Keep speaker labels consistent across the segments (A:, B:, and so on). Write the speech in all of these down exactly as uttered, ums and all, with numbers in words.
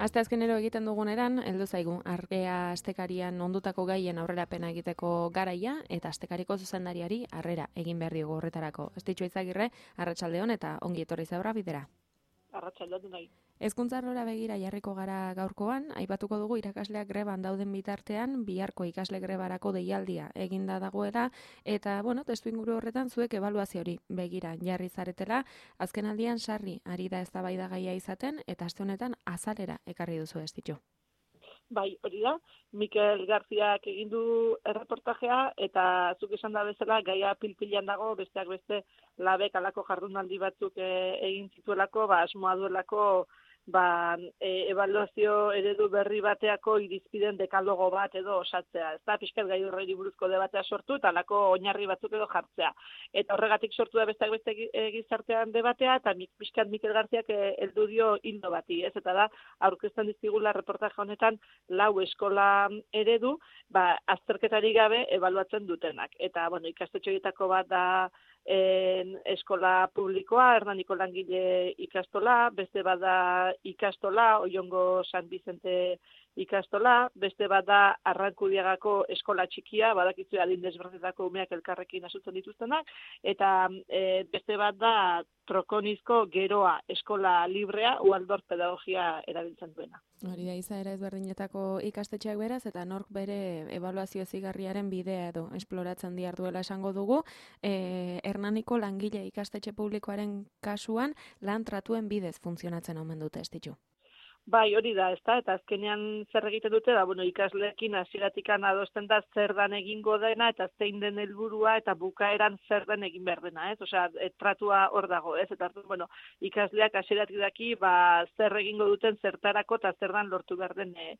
A: Asteazkenero egiten duguneran, heldu zaigu, argea astekarian ondutako gaien aurrerapena egiteko garaia, eta astekariko zuzendariari harrera egin behar diogu horretarako. Estitxo Izagirre, arratsaldeon eta ongi etorri zaura bidera.
B: Arratsaldeon nahi.
A: Hezkuntza arlora begira jarriko gara gaurkoan, aipatuko dugu irakasleak greban dauden bitartean, biharko ikasle grebarako deialdia eginda dagoela, eta, bueno, testu inguru horretan zuek ebaluazio hori begira jarri zaretela, azkenaldian sarri ari da eztabaidagaia izaten, eta aste honetan azalera ekarri duzu Estitxo.
B: Bai, hori da, Mikel Garziak egin du erreportajea, eta zuk esan da bezala, gaia pilpilan dago, besteak beste, labek alako jardunaldi batzuk e, egin zituelako, ba, asmoa duelako, ba, e, evaluazio eredu berri bateako irizpiden dekalogo bat edo osatzea. Ez da, pixkat gai horreri buruzko debatea sortu, eta alako oinarri batzuk edo jartzea. Eta horregatik sortu da besteak beste gizartean debatea, eta pixkat Mikel Garziak heldu dio hildo bati, ez? Eta da, aurkezten dizkigula reportaje honetan, lau eskola eredu, ba, azterketari gabe ebaluatzen dutenak. Eta, bueno, ikastetxoietako bat da en, eskola publikoa, Hernaniko langile ikastola, beste bada ikastola, Oiongo San Vicente ikastola, beste bat da Arrankudiagako eskola txikia, badakizu adin desberdinetako umeak elkarrekin asutzen dituztenak, eta e, beste bat da Trokonizko Geroa eskola librea, Waldorf pedagogia erabiltzen duena.
A: Hori da, izaera ezberdinetako ikastetxeak beraz, eta nork bere ebaluazio zigarriaren bidea edo esploratzen diarduela esango dugu. E, Hernaniko langile ikastetxe publikoaren kasuan lan tratuen bidez funtzionatzen omen dute Estitxu.
B: Bai, hori da, ezta, eta azkenean zer egiten dute, da, bueno, ikasleekin hasieratikan adosten da zer dan egingo dena, eta zein den helburua eta bukaeran zer den egin behar dena, ez? Osea, tratua hor dago, ez? Eta, bueno, ikasleak hasieratik daki, ba, zer egingo duten zertarako eta zer dan lortu behar den e,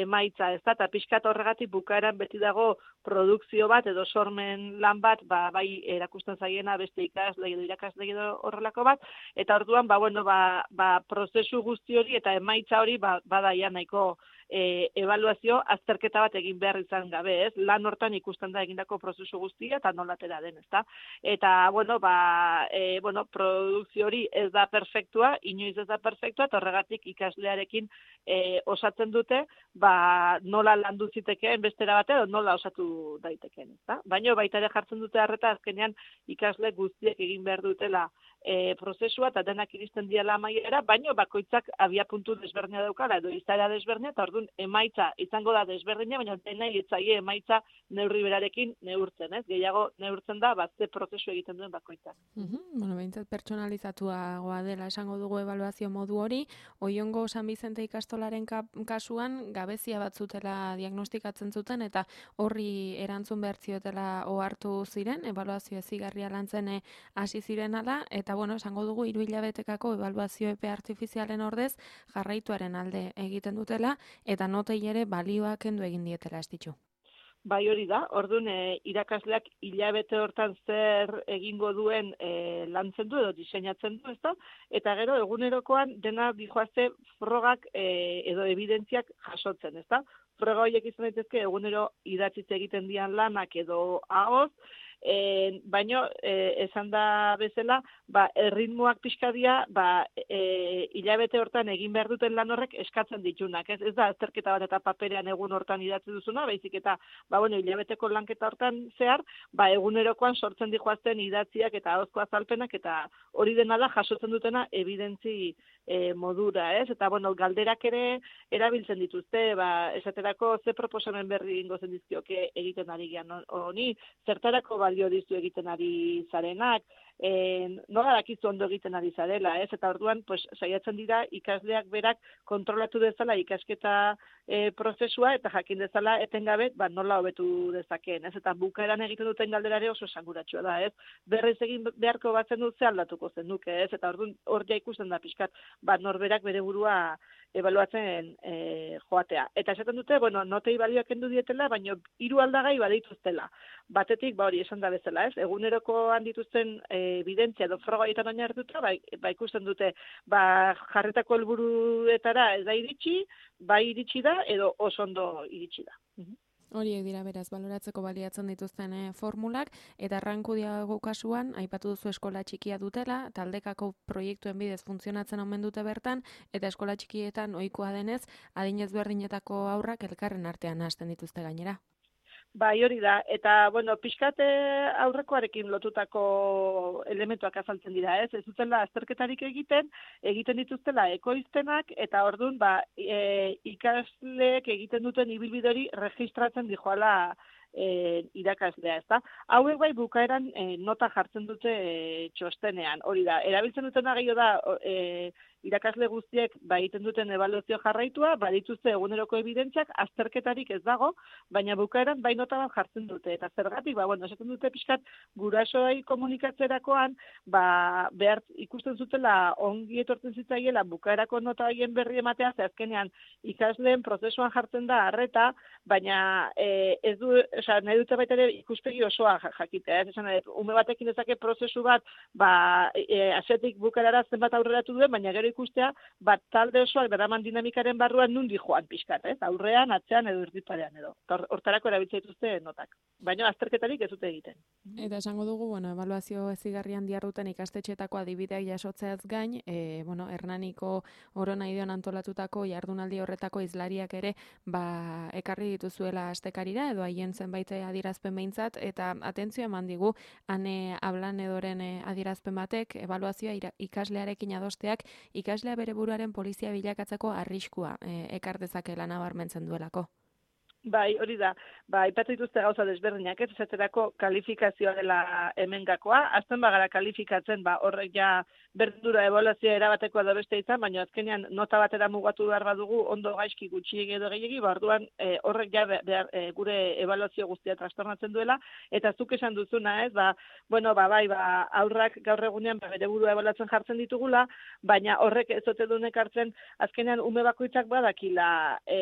B: emaitza, ez da? Eta pixkat horregatik bukaeran beti dago produkzio bat edo sormen lan bat, ba, bai erakusten zaiena beste ikasle edo irakasle edo horrelako bat, eta orduan, ba, bueno, ba, ba, prozesu guzti hori eta emaitza hori ba, badaia nahiko e, evaluazio azterketa bat egin behar izan gabe, ez? Lan hortan ikusten da egindako prozesu guztia eta nolatera den, ezta? Eta, bueno, ba, e, bueno, produkzio hori ez da perfektua, inoiz ez da perfektua, eta horregatik ikaslearekin e, osatzen dute, ba, nola landu zitekeen bestera bate, edo nola osatu daitekeen, ezta? Baina baita ere jartzen dute harreta azkenean ikasle guztiek egin behar dutela E, prozesua eta denak iristen diala amaiera, baino bakoitzak abia puntu desberdina daukala edo izaera desberdina, eta orduan emaitza izango da desberdina, baina dena hitzaile emaitza neurri berarekin neurtzen, ez? Gehiago neurtzen da, bat ze prozesu egiten duen bakoitzak.
A: Uh-huh. Bueno, behintzat pertsonalizatuagoa dela esango dugu ebaluazio modu hori, Oiongo San Vicente ikastolaren kasuan gabezia bat zutela diagnostikatzen zuten, eta horri erantzun behar ziotela ohartu ziren, ebaluazio ezigarria lantzen hasi ziren ala, eta bueno, esango dugu hiru hilabetekako ebaluazio epe artifizialen ordez jarraituaren alde egiten dutela, eta notei ere balioa kendu egin dietela Estitxu.
B: Bai, hori da, orduan e, irakasleak hilabete hortan zer egingo duen e, lantzen du edo diseinatzen du, ezta? Eta gero egunerokoan dena dijoazte frogak e, edo evidentziak jasotzen, ezta? Froga horiek izan daitezke egunero idatzitz egiten dian lanak edo ahoz, E, baino, e, esan da bezala, ba, erritmoak pixkadia, ba, e, hilabete hortan egin behar duten lan horrek eskatzen ditunak. Ez, ez da, azterketa bat eta paperean egun hortan idatzi duzuna, baizik eta, ba, bueno, hilabeteko lanketa hortan zehar, ba, egunerokoan sortzen dijoazten idatziak eta ahozko azalpenak, eta hori dena da jasotzen dutena evidentzi e, modura, ez? Eta, bueno, galderak ere erabiltzen dituzte, ba, esaterako ze proposamen berri ingo zen dizkioke egiten ari gian honi, zertarako balio dizu egiten ari zarenak, e, nola dakizu ondo egiten ari zarela, ez? Eta orduan, pues, saiatzen dira ikasleak berak kontrolatu dezala ikasketa e, prozesua, eta jakin dezala etengabe, ba, nola hobetu dezakeen, ez? Eta bukaeran egiten duten galderare oso esanguratsua da, ez? Berriz egin beharko batzen dut ze aldatuko zen duke, ez? Eta orduan hor ja ikusten da pixkat, ba, norberak bere burua ebaluatzen e, joatea. Eta esaten dute, bueno, notei balioak kendu dietela, baina hiru aldagai badituztela. Batetik, ba hori esan da bezala, ez? Egunerokoan dituzten e, evidentzia edo frogaietan oinarrituta, ba, ba ikusten dute, ba jarretako helburuetara ez da iritsi, bai iritsi da edo oso ondo iritsi da.
A: Horiek dira beraz, baloratzeko baliatzen dituzten eh, formulak, eta Arrankudiago kasuan, aipatu duzu eskola txikia dutela, taldekako proiektuen bidez funtzionatzen omen dute bertan, eta eskola txikietan ohikoa denez, adin ezberdinetako haurrak elkarren artean hasten dituzte gainera.
B: Bai, hori da, eta, bueno, pixkate aurrekoarekin lotutako elementuak azaltzen dira, ez? Ez dutela azterketarik egiten, egiten dituztela ekoizpenak, eta ordun ba, e, ikasleek egiten duten ibilbide hori registratzen dijoala e, irakaslea, ezta? Hauek bai bukaeran e, nota jartzen dute e, txostenean, hori da. Erabiltzen dutena gehiago da, e, irakasle guztiek ba egiten duten ebaluazio jarraitua, badituzte eguneroko ebidentziak, azterketarik ez dago, baina bukaeran bai nota bat jartzen dute. Eta zergatik, ba, bueno, esaten dute pixkat gurasoei komunikatzerakoan, ba, behar ikusten zutela ongi etortzen zitzaiela bukaerako nota horien berri ematea, ze azkenean ikasleen prozesuan jartzen da harreta, baina e, ez du, osea, nahi dute baita ere ikuspegi osoa jakitea, ez esan, ume batekin dezake prozesu bat, ba, e, asetik bukaerara zenbat aurreratu duen, baina gero ikustea, bat talde osoak daraman dinamikaren barruan nundi joan pixkat, ez? Aurrean, atzean edo erdiparean edo. Hortarako erabiltzen dituzte notak. Baina azterketarik ez dute egiten.
A: Eta esango dugu, bueno, ebaluazio ezigarrian diarduten ikastetxeetako adibideak jasotzeaz gain, e, bueno, Hernaniko Oronaideon antolatutako jardunaldi horretako izlariak ere, ba, ekarri dituzuela astekarira edo haien zenbait adierazpen behintzat, eta atentzio eman digu, ane hablan edoren adierazpen batek, ebaluazioa ikaslearekin adosteak, ikaslea bere buruaren polizia bilakatzeko arriskua e, ekar dezakela nabarmentzen duelako.
B: Bai, hori da. Ba, aipatu dituzte gauza desberdinak, ez esaterako kalifikazioa dela hemengakoa. Azten bagara kalifikatzen, ba, horrek ja berdura ebaluazioa erabateko edo beste izan, baina azkenean nota batera mugatu behar badugu ondo gaizki gutxiegi edo gehiegi, ba, orduan e, horrek ja behar, e, gure ebaluazio guztia trastornatzen duela, eta zuk esan duzuna, ez, ba, bueno, ba, bai, ba, aurrak gaur egunean ba, bere burua ebaluatzen jartzen ditugula, baina horrek ez ote dunek hartzen, azkenean ume bakoitzak badakila e,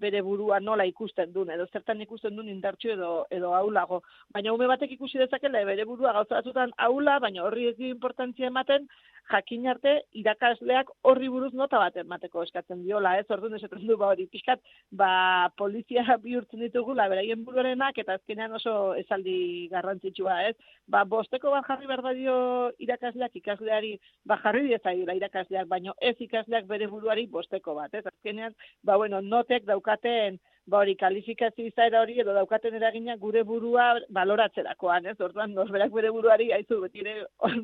B: bere burua nola ikusten duen, edo zertan ikusten duen indartxo edo, edo ahulago. Baina ume batek ikusi dezakela bere burua gauza batzutan ahula, baina horri ez dio importantzia ematen, jakin arte irakasleak horri buruz nota bat emateko eskatzen diola, ez? Orduan esaten du ba hori pixkat, ba polizia bihurtzen ditugula beraien buruarenak eta azkenean oso esaldi garrantzitsua, ez? Ba bosteko bat jarri behar dio irakasleak ikasleari, ba jarri diezaiola irakasleak, baino ez ikasleak bere buruari bosteko bat, ez? Azkenean, ba bueno, notek daukaten ba hori kalifikazio izaera hori edo daukaten eragina gure burua baloratzerakoan, ez? Orduan norberak bere buruari aizu beti ere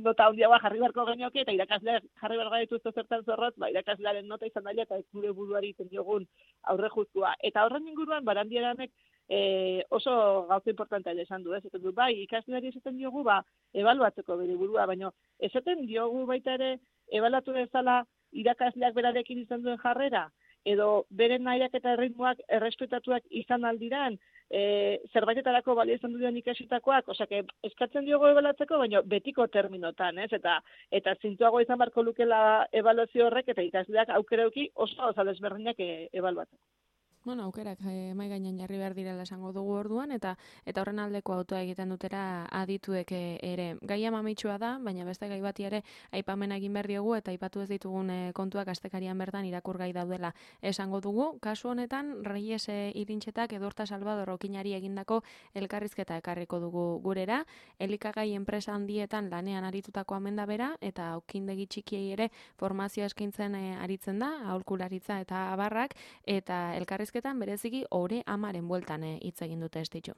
B: nota handiagoa jarri beharko genioke eta irakasleak jarri behar gaituzte zertan zorrotz, ba irakaslearen nota izan daila eta ez gure buruari iten diogun aurre justua. Eta horren inguruan Barandiaranek e, oso gauza importantea esan du, ez? Esaten du, bai, ikasleari esaten diogu ba ebaluatzeko bere burua, baina esaten diogu baita ere ebaluatu dezala irakasleak berarekin izan duen jarrera, edo beren nahiak eta erritmoak errespetatuak izan aldiran, e, zerbaitetarako balio izan duen ikasitakoak, osea, eskatzen diogo ebalatzeko, baina betiko terminotan, ez? Eta eta zintuago izan barko lukela ebaluazio horrek eta ikasleak aukerauki oso oso desberdinak e, ebaluatzeko.
A: Bueno, aukerak eh, mai gainean jarri behar direla esango dugu orduan, eta eta horren aldeko autoa egiten dutera adituek ere. Gaia mamitsua da, baina beste gai bati ere aipamena egin behar diogu, eta aipatu ez ditugun eh, kontuak astekarian bertan irakurgai daudela esango dugu. Kasu honetan, Reyes eh, Irintxetak Edurta Salvador Okinari egindako elkarrizketa ekarriko dugu gurera, elikagai enpresa handietan lanean aritutako amenda bera, eta okindegi txikiei ere formazio eskaintzen eh, aritzen da, aholkularitza eta abarrak, eta elkarrizketa bereziki ore amaren bueltan hitz egin dute estitxo.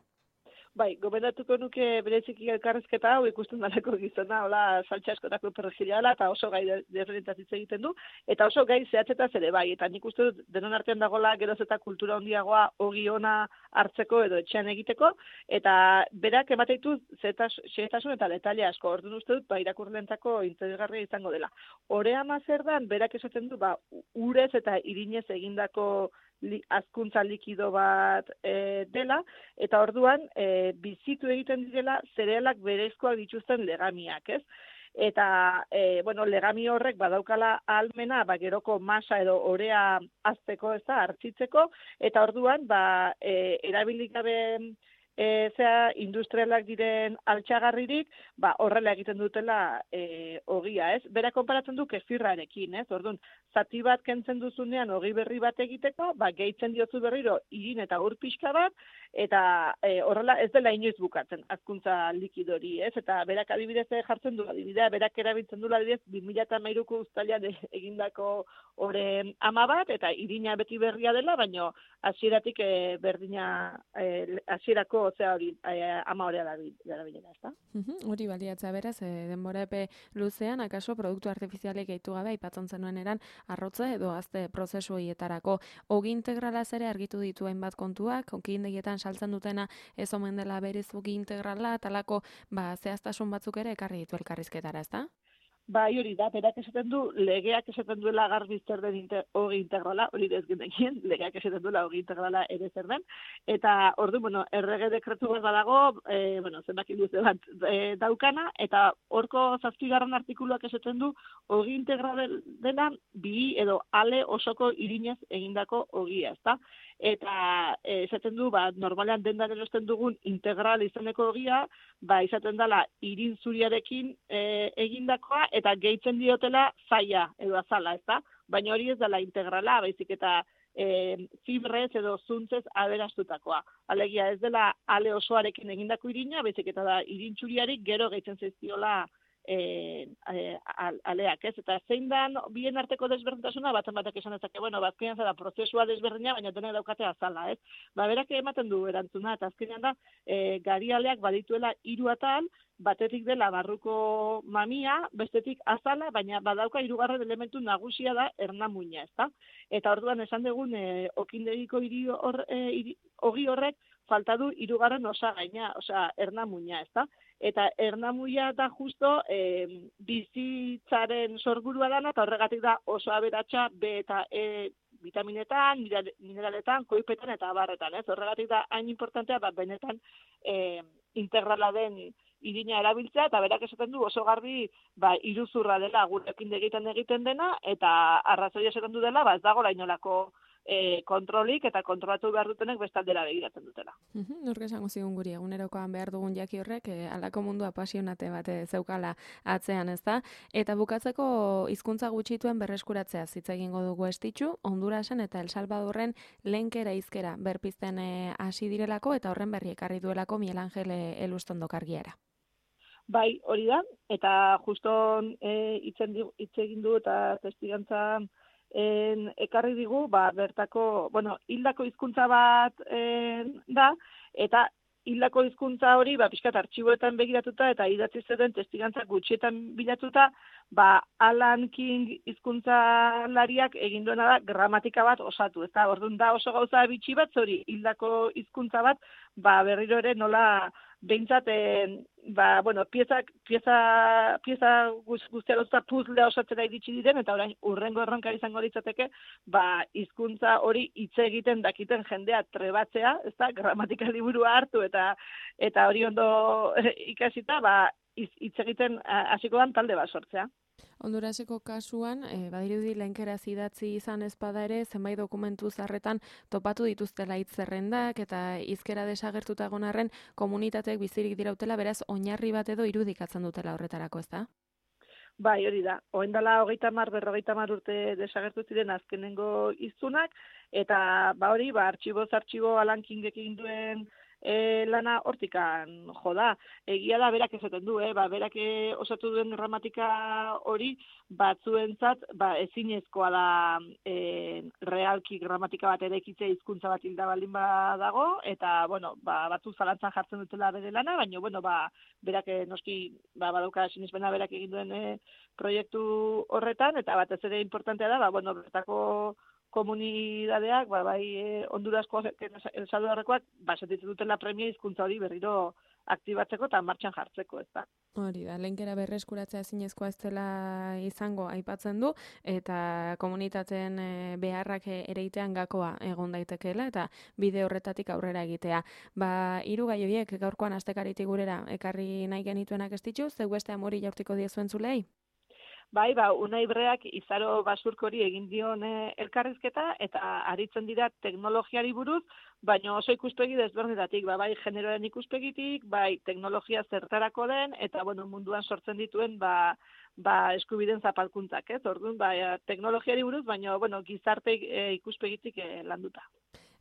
B: Bai, gomendatuko nuke bereziki elkarrizketa hau ikusten dalako gizona, hola, saltsa askotako perrexiliala, eta oso gai desberdinetaz hitz egiten du, eta oso gai zehatzetaz ere bai, eta nik uste dut denon artean dagoela geroz eta kultura handiagoa ogi ona hartzeko edo etxean egiteko, eta berak emateitu xehetasun eta detaile asko, orduan uste dut, ba, irakurlentzako interesgarria izango dela. Ore ama zer dan, berak esaten du, ba, urez eta irinez egindako li, azkuntza likido bat e, dela, eta orduan e, bizitu egiten direla zerealak berezkoak dituzten legamiak, ez? Eta, e, bueno, legami horrek badaukala ahalmena, ba, geroko masa edo orea azteko, ez da, hartzitzeko, eta orduan, ba, e, erabilik gabe e, zea industrialak diren altxagarririk, ba, horrela egiten dutela e, ogia, ez? Bera konparatzen du kefirrarekin, ez? Orduan, zati bat kentzen duzunean ogi berri bat egiteko, ba, gehitzen diozu berriro irin eta ur pixka bat, eta e, horrela ez dela inoiz bukatzen, hazkuntza likidori, ez? Eta berak adibidez jartzen du, adibidea, berak erabiltzen du adibidez, bi mila hamairuko uztailean egindako oren ama bat, eta irina beti berria dela, baino hasieratik e, berdina e, hasierako ozea hori e, ama horea darabilena, ez da?
A: Hori baliatzea beraz, e, denbora epe luzean, akaso produktu artifizialek gehitu gabe, aipatzen zenuen eran, arrotza edo azte prozesu horietarako. Ogi integralaz ere argitu ditu hainbat kontuak, okindegietan saltzen dutena ez omen dela berez ogi integrala, talako ba, zehaztasun batzuk ere ekarri ditu elkarrizketara, ez da?
B: Bai, hori da, berak esaten du, legeak esaten duela garbi zer den inter, ogi integrala, hori ez genekien, legeak esaten duela ogi integrala ere zer den, eta ordu, bueno, errege dekretu bat badago, e, bueno, zenbaki luze bat e, daukana, eta horko zazpigarren artikuluak esaten du, ogi integrala dela bi edo ale osoko irinez egindako ogia, ezta? Eta e, esaten du, ba, normalean dendan erosten dugun integral izeneko ogia, ba, izaten dela irin zuriarekin e, egindakoa, eta gehitzen diotela zaila edo azala, ezta? Baina hori ez dela integrala, baizik eta e, fibrez edo zuntzez aberastutakoa. Alegia ez dela ale osoarekin egindako irina, baizik eta da irintxuriarik gero gehitzen zaizkiola E, e, aleak, ez? Eta zein dan bien arteko desberdintasuna, baten batek esan ezake, bueno, bazkenean zara prozesua desberdina, baina denek daukate azala, ez? Ba, berak ematen du erantzuna, eta azkenean da, e, gari aleak badituela hiru atal, batetik dela barruko mamia, bestetik azala, baina badauka hirugarren elementu nagusia da ernamuina, ezta? Eta orduan esan dugun, e, okindegiko hiri hor, e, hiri, ogi horrek, falta du hirugarren osagaina, osea, ernamuina, ezta? Eta ernamuia da justo e, bizitzaren sorburua dana, eta horregatik da oso aberatsa B eta E vitaminetan, mineraletan, koipetan eta abarretan, ez? Horregatik da hain importantea, bat benetan e, integrala den irina erabiltzea, eta berak esaten du oso garbi ba, iruzurra dela gurekin egiten egiten dena, eta arrazoia esaten du dela, ba, ez dago lainolako E, kontrolik eta kontrolatu behar dutenek bestaldera begiratzen dutela.
A: Nork esango zigun guri, egunerokoan behar dugun jaki horrek, e, alako mundu apasionate bat e, zeukala atzean, ez da? Eta bukatzeko hizkuntza gutxituen berreskuratzea hitz egingo dugu estitxu, Hondurasen eta El Salvadorren lenkera hizkera berpizten hasi direlako, eta horren berri ekarri duelako Miel Angel Elustondo kargiara.
B: Bai, hori da, eta juston hitz e, egin du eta testigantza En, ekarri digu, ba, bertako, bueno, hildako hizkuntza bat en, da, eta hildako hizkuntza hori, ba, pixkat artxiboetan begiratuta, eta idatzi zuten testigantza gutxietan bilatuta, ba, Alan King hizkuntzalariak egin duena da gramatika bat osatu, ezta? Orduan da oso gauza bitxi bat, hori hildako hizkuntza bat, ba, berriro ere nola behintzat, eh, ba, bueno, piezak, pieza, pieza guztia lotuta puzlea osatzera iritsi diren, eta orain urrengo erronka izango litzateke, ba, hizkuntza hori hitz egiten dakiten jendea trebatzea, ezta, gramatika liburua hartu, eta eta hori ondo ikasita, ba, hitz egiten hasiko dan talde bat sortzea.
A: Honduraseko kasuan, e, badirudi lenkera idatzi izan ezpada ere, zenbait dokumentu zarretan topatu dituztela hitz zerrendak eta hizkera desagertuta egon arren komunitateek bizirik dirautela, beraz oinarri bat edo irudikatzen dutela horretarako, ezta?
B: Bai, hori da. Oraindela hogeita hamar, berrogeita hamar urte desagertu ziren azkenengo hiztunak, eta ba hori, ba artxiboz artxibo Alan Kingek egin duen E, lana hortikan jo da. Egia da berak esaten du, eh? ba, berak osatu duen gramatika hori batzuentzat ba, ezinezkoa da e, realki gramatika bat erekitzea hizkuntza bat hilda baldin badago, eta bueno, ba, batzu zalantzan jartzen dutela bere lana, baina bueno, ba, berak noski ba, badauka sinesmena berak egin duen e, proiektu horretan, eta batez ere importantea da, ba, bueno, bertako komunidadeak, ba, bai eh, Honduraskoak, El Salvadorrekoak, ba, sentitzen dutela premia hizkuntza hori berriro aktibatzeko eta martxan jartzeko, ez da.
A: Hori da, lenkera berreskuratzea ezinezkoa ez dela izango aipatzen du, eta komunitateen e, beharrak ereitean gakoa egon daitekeela, eta bide horretatik aurrera egitea. Ba, hiru gai horiek gaurkoan astekaritik gurera ekarri nahi genituenak ez ditu, zeu beste amori jaurtiko diezuen zulei?
B: Bai, ba, Unai Break izaro basurkori egin dion e, elkarrizketa eta aritzen dira teknologiari buruz, baina oso ikuspegi desberdinetatik, ba, bai generoaren ikuspegitik, bai teknologia zertarako den, eta bueno, munduan sortzen dituen ba, ba, eskubiden zapalkuntzak, ez? Orduan, ba, teknologiari buruz, baina bueno, gizarte e, ikuspegitik e, landuta.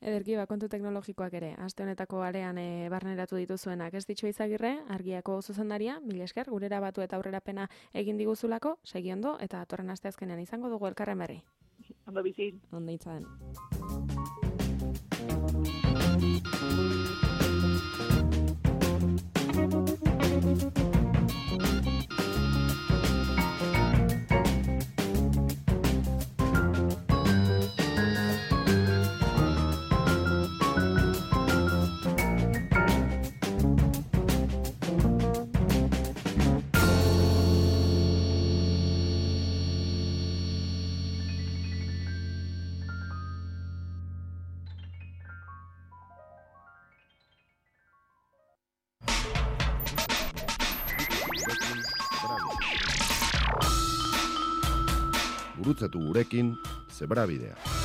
A: Ederki, ba, kontu teknologikoak ere, aste honetako arean e, barneratu dituzuenak. Ez ditxo Izagirre, Argiako zuzendaria, mila esker, gurera batu eta aurrerapena egin diguzulako, segi ondo, eta atorren asteazkenean izango dugu elkarren berri.
B: Ondo bizi.
A: Ondo itzaden.
C: Gurutzatu gurekin, Zebrabidea.